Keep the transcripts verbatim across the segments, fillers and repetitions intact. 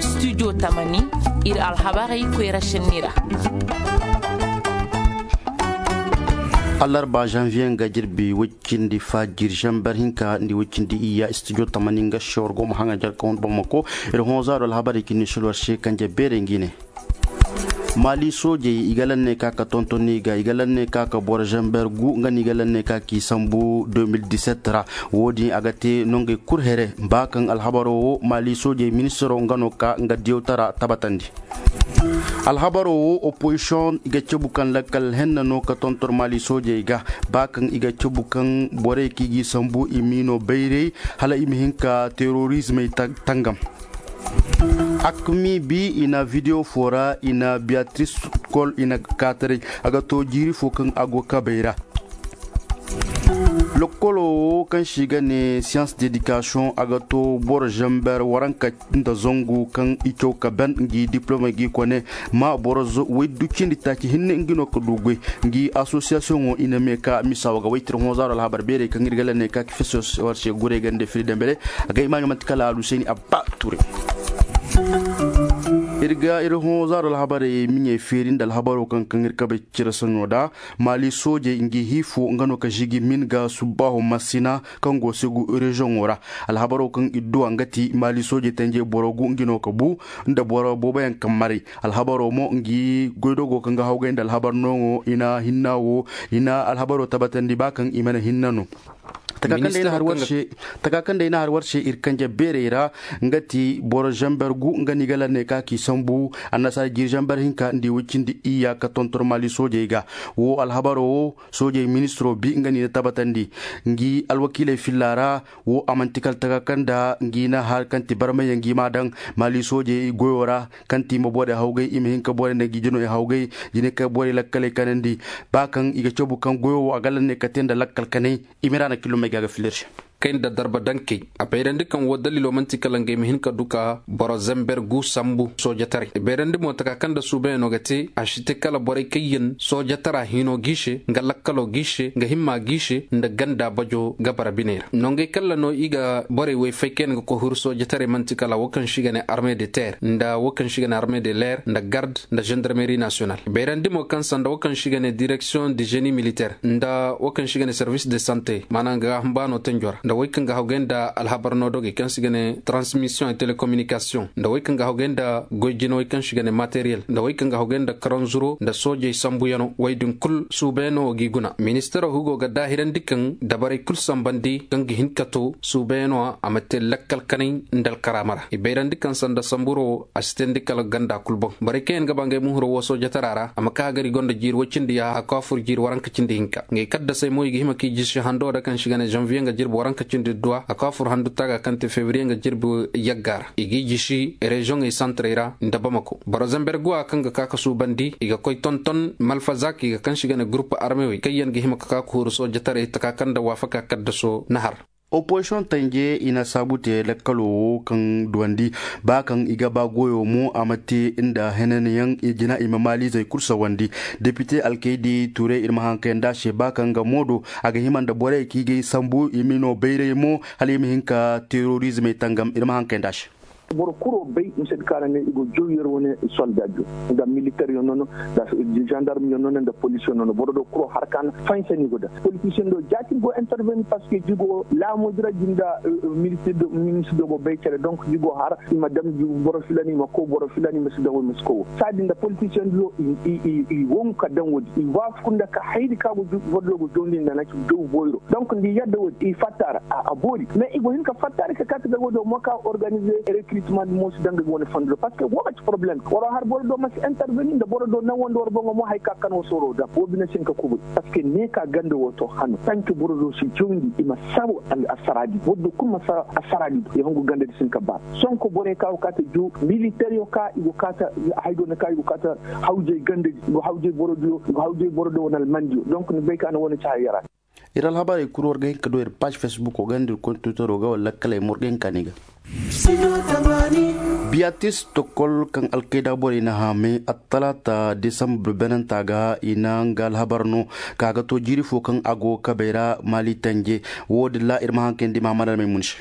Studio tamani, ir alhabarey koyra šenni ra. Alarba zanviye nga jirbi woy cindi fa jir zanber hinka nda woy cindi iyya studio tamani nga se war go ma haŋa jarka wane bamako. Ir hõ zaaro alhabarey ka ni silwar se kanje beerey ngi ne. Maali soojey i ga lanne ka ka tonton i ga i ga lanne ka ka boro zamber gu nga no i ga lanne ka k'i sambu deux mille dix-sept ra. Wo-din a ga te nongey kul here ba kaŋ alhabaro wo maali soojey ministiro nga no ka nga diyawtara tabatandi. Alhabaro wo opozisiyoŋ i ga cabu kaŋ lakkal henna no ka tonton maali soojey ga ba kaŋ i ga cabu kaŋ borey kaŋ i g'i sambu i m'i no bayray hala i ma hin ka terorizmey tangam. Akmi bi i na video fo ra i na beatrice kol i na kaataray a ga to jiiri fo kaŋ a go kabay ra. Lokolo wo kaŋ se i ga ne science d'éducation a ga to boro zamber waranka nda zangu kaŋ i caw ka ban ngi diplome ngi kone ma boro waydu cindi taaci hinne ngi no ka du goy. Ngi association wo i na me ka misa wo ga waytir hõ zaaro alhabar beerey kaŋ ir ga lanney ka ka fesa war se guray gande fili dembele. A ga i maaɲo manti kala aluseni abba ture. Ir ga ir hõ zaaro alhabarey miɲey feeri nda alhabaro kaŋ kaŋ ir kabay cire saɲo da. Maali soojey ngi hii fo nga no ka žigi min ga subbaaho masina kaŋ go segu reziyoŋo ra. Alhabaro kaŋ i duwa nga ti maali soojey tanjey boro gu ngi no ka bu nda boro booboyaŋ kaŋ maray. Alhabaro mo ngi goydogo kaŋ ga hawgay nda alhabar nooŋo i na hinna wo i na alhabaro tabatandi ba kaŋ i mana hinna no. Taka kaŋ day na har war se ir kanje beerey ra nga ti boro zamber gu nga no i ga lanney ka k'i sambu. Annasaara jiiri zamber hinka nda i woy cindi iyya ka tonton maali soojey ga. Wo alhabaro wo soojey ministiro bi nga no i na tabatandi. Ngi alwakiiley filla ra wo a man'ti kala taka kaŋ nda ngi na har kaŋ ti barmayyaŋ ngi m'a daŋ maali soojey goyo ra. Kaŋ ti i ma borey hawgay i ma hin ka borey nda ngi jino i hawgay jine ka borey lakkaley kanandi. Ba kaŋ i ga cabu kaŋ goyo wo a ga lanney ka te nda lakkal kanay. I ma ra na kilomey ga ga filir se. Kay nda darba dankey a bayrandi kaŋ wo dalilo man'ti kala nga i ma hin ka du ka boro zamber gu sambu soojataray i bayrandi mo taka kaŋ nda suubayaŋo ga te a si te kala borey kaŋ yaŋ soojatara hino g'i se nga lakkalo g'i se nga himma g'i se nda ganda bajo gabara biney ra nongey kalla no i ga borey woy fay kaŋ yaŋ ga koy huru soojataray man'ti kala wo kaŋ se i ga ne arme de terre nda wo kaŋ se i ga ne arme de leer nda garde nda zandarmeri nasiyonal i bayrandi mo kaŋ sanda wo kaŋ se i ga ne direksiyoŋ de zeni militer nda wo kaŋ se i ga ne servis de sante maana nga ga humbaano tanjo ra nda wey kaŋ ga hawgay nda alhabar no dogey kaŋ se i ga ne transmisiyoŋ e telekominikasiyoŋ nda wey kaŋ ga hawgay nda goy jinawey kaŋ se i ga ne materiyel nda wey kaŋ ga hawgay nda karanzuro nda soojey sambuyano wey din kul suubayano g'i guna ministaro hugo ga daahirandi kaŋ dabarey kul sambandi kaŋ ga hin ka to suubayano a ma te lakkal kanay nda alkaraama ra i bayrandi kaŋ sanda samburo a si teendi kala ganda kul boŋ borey kaŋ yaŋ ga ba ngey muhuro wo soojatara ra a ma ka hagari gonda jiiri woy cindi yaaha a ka fur jiiri waranka cindi hinka ngey kaddasey mo i ga hima k'i jisi hando da kaŋ si ga ne zanviye nga jirbi waranka cindi duwa a ka fur handu taaga kaŋ te febriye nga jirbi yagga ra i g'i jisi reziyoŋey santarey ra nda bamako boro zamber guwa kaŋ ga ka ka suubandi i ga koy tonton malfazak i ga kaŋ si ga ne gurup armewey kaŋ yaŋ ga hima ka ka ka huru soojataray taka kaŋ nda waafaka kaddaso na har. Opozisiyoŋ tanje i na saabu te lakkalo wo kaŋ duwandi ba kaŋ i ga ba goyo mo a ma te nda henanyaŋ i jina i ma maaliizey kul sawandi. Depite alkaydi turay ir ma haŋ kayandi a se ba kaŋ nga moodo a ga hima nda borey kaŋ i ga ay sambu i ma no bayray mo hala i ma hin ka terorizmey tangam ir ma haŋ kayandi a se. Boro kuro bay mise da kaŋ a ra ne i go jaw yer wane solda jaw nda militer yaŋ nono nda zandarm yaŋ nono nda polis yaŋ nono boro do kuro har kaŋ fansani go da politisiyen do jaati go interveni parceque jigo laamoodi ra jinda ministir do go bay care donc jigo har i ma dam boro filani i ma kow boro filani i ma si dawo i ma si kowo saadi nda politisiyen do i wangu ka daŋ woodi i waafaku nda ka haydi kaŋ a go boro do go jawndi nda na ci jaw boyro donc nda i yadda woodi i fatta ra a boori mais i go hin ka fatta ra ka kaati ga woodi mo ka organize recrutement mo si daŋ ga wane fondo parce que wo ga ci problème waro har boro do ma si interveni nda boro do naŋ wanda waro boŋo mo hari ka kaŋ wo sooro daŋ wo bine si hin ka kubay parce que ne ka ganda wo to hano tanki boro do si jawndi i ma sabu assaradi boro do kulu ma sabu assaradi i hongu ganda di si hin ka baara sonko borey ka go kaata jaw militer yo ka i go kaata hari do na ka i go kaata hawjay ganda di i go hawjay boro do wane almandiyo donc ni bay ka na wane ci hari yara. Ir alhabarey kul war ga hin ka du ir paaž fesbuko ga nda ir kontutaro ga wala lakkaley ma war ga hin ka ni ga. Biyatis tokol kaŋ alkayda borey na haamay attalaata desambar benanta ga i na nga alhabar no ka ga to jiiri fo kaŋ a go kabey ra maali tanje. Wo-din ra ir ma haŋ kayandi mahamad almay mun se.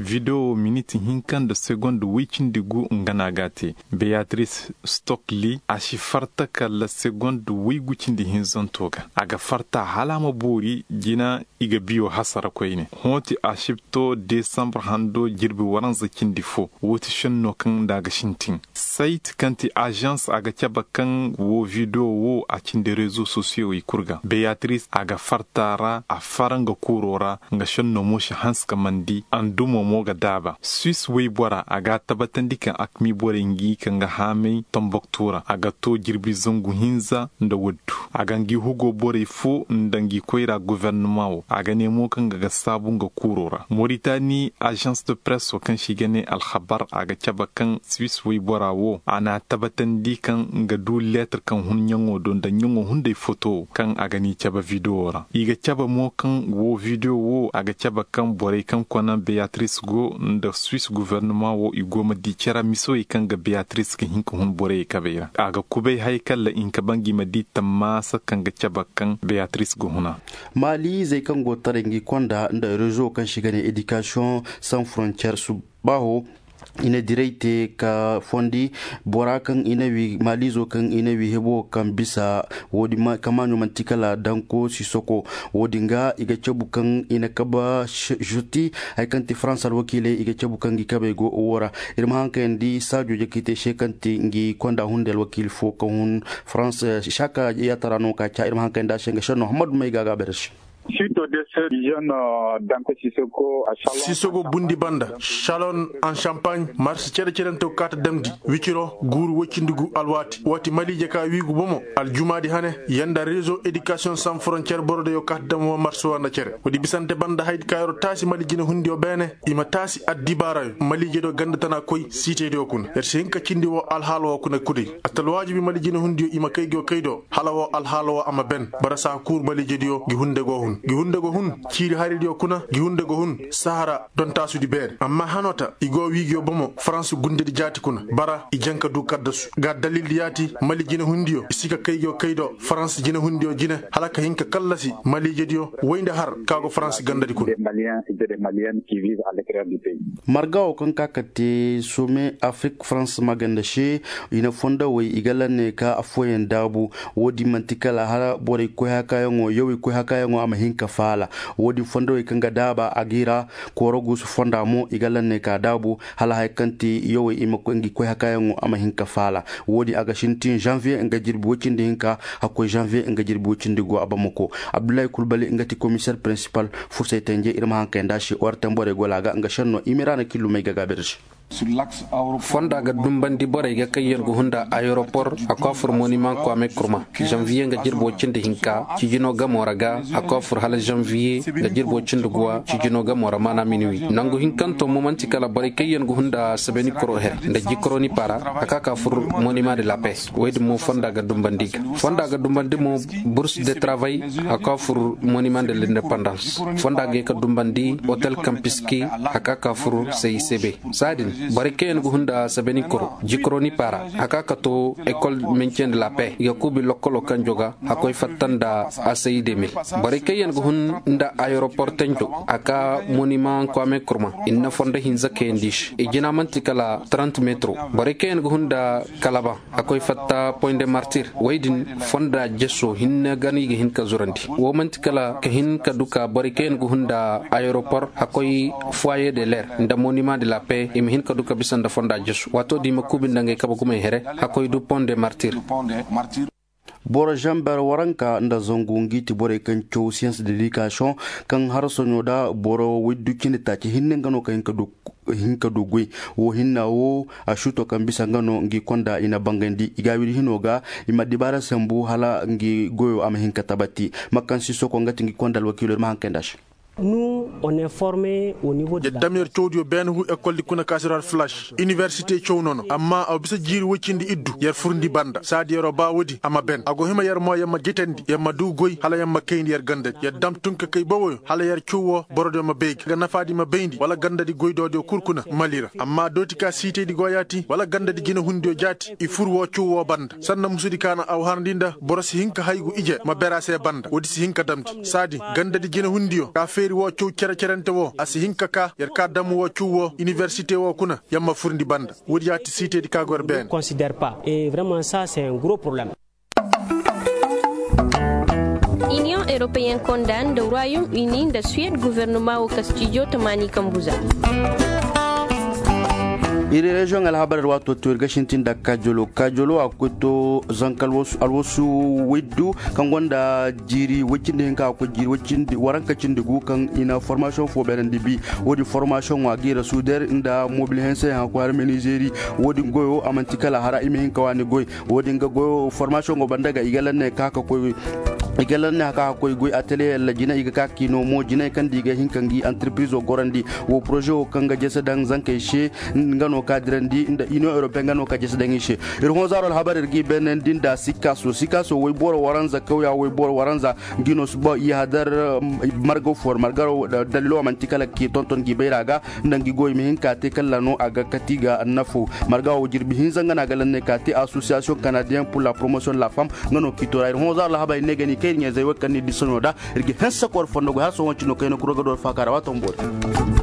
Video wo miniti hinka nda segond woy cindi gu nga no a g'a te. Beyatris stokli a si farta kala segond woy gu cindi hinzanto ga. A ga farta hala a ma boori jina. I ga biyo hasara koyne. Hõ ti a si to desambar hando jirbi waranza cindi fo. Wo ti šenno kaŋ nda a ga sintin. Sayt kaŋ ti azans a ga cabe kaŋ wo video wo a cindi rezo sosiyowey kul ga. Beyatris a ga farta ra a fara nga kuuro ra. Nga šenno mo si hanse ka mandi andumo mo ga daaba suis woybora a ga a tabatandi kaŋ akmi borey ngi ka nga haamay tomboktu ra a ga to jirbi zangu hinza. Nda waddu a ga ngi hugo borey fo nda ngi koyra governement wo a ga ne mo kaŋ ga ga saabu nga kuuro ra moritani agence de presse wo kaŋ se i ga ne alhabar a ga cabe kaŋ suis woybora wo a n'a tabatandi kaŋ nga du leetar kaŋ hun ɲaŋo do nda ɲaŋo hunday foto wo kaŋ a ga n'i cabe video ra i ga cabe mo kaŋ wo video wo a ga cabe kaŋ borey kaŋ kona beyatris go nda suis governement wo i go ma di cere misawey kaŋ ga beyatris ga hin ka hun borey kabey ra a ga kubay hay kala i hin ka ba ngi ma di tammaasa kaŋ ga cabe kaŋ beyatris ga huna. Maali izey kaŋ go taray ngi konda nda rezo kaŋ se i ga ne edikasiyoŋ san frontiyer subbaaho i na diray te ka fondi bora kaŋ i na wi maaliizo kaŋ i na wi hebo kaŋ bisa. Wo- din kamaaɲo man'ti kala danko sisoko. Wo- din ga i ga cabu kaŋ i na kabe žuti hari kaŋ ti farans alwakiiley i ga cabu kaŋ ngi kabey go wo ra. Ir ma haŋ kayandi saajo jakaitey se kaŋ ti ngi konda hunday alwakiili fo kaŋ hun farans. Saaka yaatara no ka ca ir ma haŋ kayandi a se nga šenno hammadu may ga a ga a bayra se. Siito de se jeune danko sisoko. Sisogo bundi banda shalon an champagne marsi cere-cerentew kaata damndi wiciro guuru woy cindi gu alwaati waati maliije ka wiigu bomo. Aljumaadi hane yanda rezo edikasiyoŋ san forontiyer borodeyo kaata dam wo marsi wo nda cere woodi bisante banda haydi ka yer'o taasi mali jinehundiyo beene. I ma taasi addibaarayo maliijediyo ganda tana koy siitediyo kuna yer si hin ka cindi wo alhaala wo kuna kuday. Atalwaajibi mali jinehundiyo i ma kay go kay do hala wo alhaala wo a ma ben. Bara saa kuur maliijediyo gi hunde go hun gi hunde go hun ciiri haridiyo kuna gi hunde go hun sahara. Don taasudi beene amma hanoo ta i go wiigiyo bomo farans gundedi jaati kuna bara i janka du kaddasu ga dalildi yaati mali jinehundiyo i si ka kay go kay do farans jinehundiyo jine hala ka hin ka kallasi maliijediyo woy nda har ka go farans gandadi kuna. Marga wo kaŋ ka ka te some afrik farans maganda se i na fondowey i ga lanne ka affooyaŋ daabu. Wo- din man'ti kala hala borey koy hakaayaŋo yawey koy hakaayaŋo a ma hin ka faala. Wo- din fondowey kaŋ ga daaba a g'i ra kooro guusu fonda mo i ga lanne ka daabu hala haya kaŋ ti yawey i ma koy ngi koy hakaayaŋo a ma hin ka faala. Wo- din a ga sintin zanviye nga jirbi woy cindi hinka hakkoy zanviye nga jirbi woy cindi go a bamako. Abdullahi kulbali nga ti komiseer prinsipal fursay tanje ir ma haŋ kayandi a se orten borey gola ga nga šenno imirana killumey ga gaabir se. Fonda ga dumbandi borey ga kaŋ yaŋ ga hunda ayeropor a kwaafur moniman kwame kurma. Zanviye nga jirbo cindi hinka cijino gamo ra ga a kwaafur hala zanviye nga jirbo cindi guwa cijino gamo ra maana minuwi nangu hinkanto mo man'ti kala borey kaŋ yaŋ ga hunda sabeni koro here nda jikoroni para a ka ka fur moniman de la paix. Wey din mo fonda ga dumbandi ga fonda ga dumbandi mo bursu de travay a ka fur moniman de l'independance. Fonda ga ye ka dumbandi hotel kampiski a ka ka fur sayise be. Saadin borey kaŋ yaŋ ga hunda sabeni koro jikoroni para a ka ka to ekol mencendi la paix i ga kuubi lokkolo kaŋ joga a koy fatta nda a sayi demil. Borey kaŋ yaŋ ga hun nda ayeropor tenjo a ka moniman kwame kurma i na fondo hinza kayandi se i jina man'ti kala trant metro. Borey kaŋ yaŋ ga hun nda kalaba a koy fatta point de martir wey din fonda jeso hinne ga no i ga hin ka zurandi. Wo man'ti kala ka hin ka duka borey kaŋ yaŋ ga hun nda ayeropor a koy foyer de l'air nda moniman de la paix i ma hin ka duka bisa nda fonda jeso waato din i ma kuubi nda ngey kabe gumey here. A koy du point de martir. Boro zamber waranka nda zangu ngi ti borey kaŋ caw siyans de likasiyoŋ kaŋ harasoɲo nda boro woy du cindi taaci hinne nga no ka hin ka du goy. Wo hinna wo a suuto kaŋ bisa nga no ngi konda i na bangandi i ga a wiri hino ga i ma dibaara sambu hala ngi goyo a ma hin ka tabati. Makansi soko nga ti ngi konda alwakiilo ir ma haŋ kayndi a se. Yer dam yer cawdiyo beene hu ekoldi kuna ka si ra flash iniwersite caw nono amma a bisa jiiri woy cindi iddu yer furndi banda saadi yer'o ba woodi a ma ben a go hima yer mo yer ma jitandi yer ma du goy hala yer ma kayndi yer gandadi yer dam tun ka kay bawoyo hala yer caw woo borodiyo ma bay ga nga nafaadi ma bayndi wala gandadi goydoodiyo kul kuna mali ra amma dooti ka siitaydi go yaati wala gandadi jinehundiyo jaati i fur woo caw woo banda sanda musudi ka na aw harndi nda boro si hin ka haygu ije ma ber a se banda woodi si hin ka damndi saadi gandadi jinehundiyo ka feeri woo caw cere. Cerante wo a si hin ka ka yer ka dam wo cuu wo iniwersite wo kuna yer ma furndi banda. Woodi ya ti siitedi ka go yer beene. Iniyoŋ europeyen konda nda royaume uni nda suwed gofornoma wo kastijo tamaani kambu za. Iri reziyoŋ alhabar ir waato to ir ga sintin nda kajolo kajolo a ga koy to zanka alwasu widdu kaŋ gonda jiiri woy cindi hinka a ga koy jiiri woy cindi waranka cindi gu kaŋ i na formasiyoŋ fo beerandi bi. Woodin formasiyoŋo a ga i ra suuder nda mobil hense haŋ a ga koy har menizeri. Woodin goyo a man'ti kala hara i ma hin ka waani goy. Woodin ga goyo formasiyoŋo banda ga i ga lanne ka ka koy i ga lanne ka ka koy goy ateliye yalla jina i ga ka ka i no mo jinay kaŋ da i ga hin ka ngi antirpirizo gorandi. Wo poroze wo kaŋ ga jese daŋ zankey se nga no ka dirandi nda iniyoŋ europe nga no ka jese daŋ i se. Ir hõ zaaro alhabar ir ga i beenandi nda sikaso sikaso woy boro waranza kawya woy boro waranza. Ngi no suba i hadar marga fo margaro dalilo a man'ti kala ka i tonton ngi bayra ga. Nda ngi goy ma hin ka te kala no a ga kati ga nafo. Marga wo jirbi hinza nga no a ga lanne ka te association canadienne pour la promotion de la femme. Nga no ka i to ra ir hõ zaaro alhabar ir ne ga ni kay ir ɲeezey wo kaŋ ni disa no da. Ir ga hanse kor fondo goy har sohõ cino kayna kuro ga do ir faaka ra waato ma boori.